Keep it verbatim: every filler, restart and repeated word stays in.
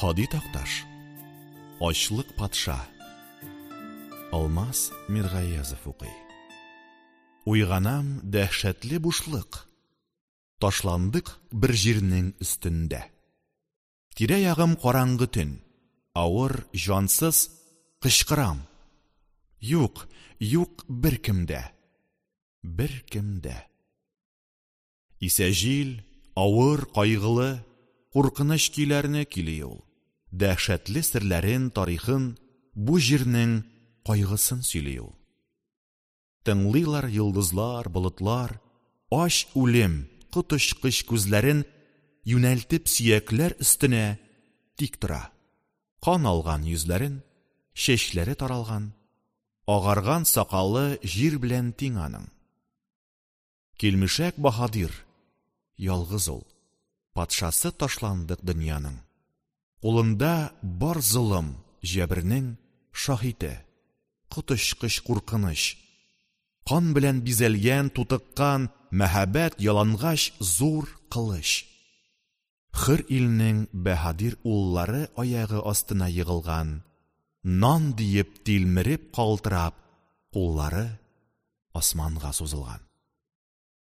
Һади Такташ. Ачлык патша. Алмаз Миргаязов укый. Уйганам дәһшәтле бушлык. Ташландык бер җирнең өстендә. Тирә-ягым караңгы төн. Авыр, җансыз кычкырам. Юк, юк беркем дә. Беркем дә. Исә җил, авыр, кайгылы, куркыныч көйләрне көйли ул. Дәһшәтле серләрен, тарихын, бу җирнең кайгысын сөйли ул. Тыңлыйлар йолдызлар, болытлар, ач үлем, коточкыч күзләрен юнәлтеп сөякләр өстенә тик тора. Кан алган йөзләрен, чәчләре таралган, агарган сакалы җир белән тиң аның. Килмешәк баһадир, ялгыз ул, патшасы ташландык дөньяның. Кулында бар золым, җәбернең шаһите, коточкыч куркыныч. Кан белән бизәлгән, тутыккан, мәһабәт ялангач зур кылыч. Хөр илнең баһадир уллары аягы астына егылган, нан диеп тилмереп калтырап, куллары османга сузылган.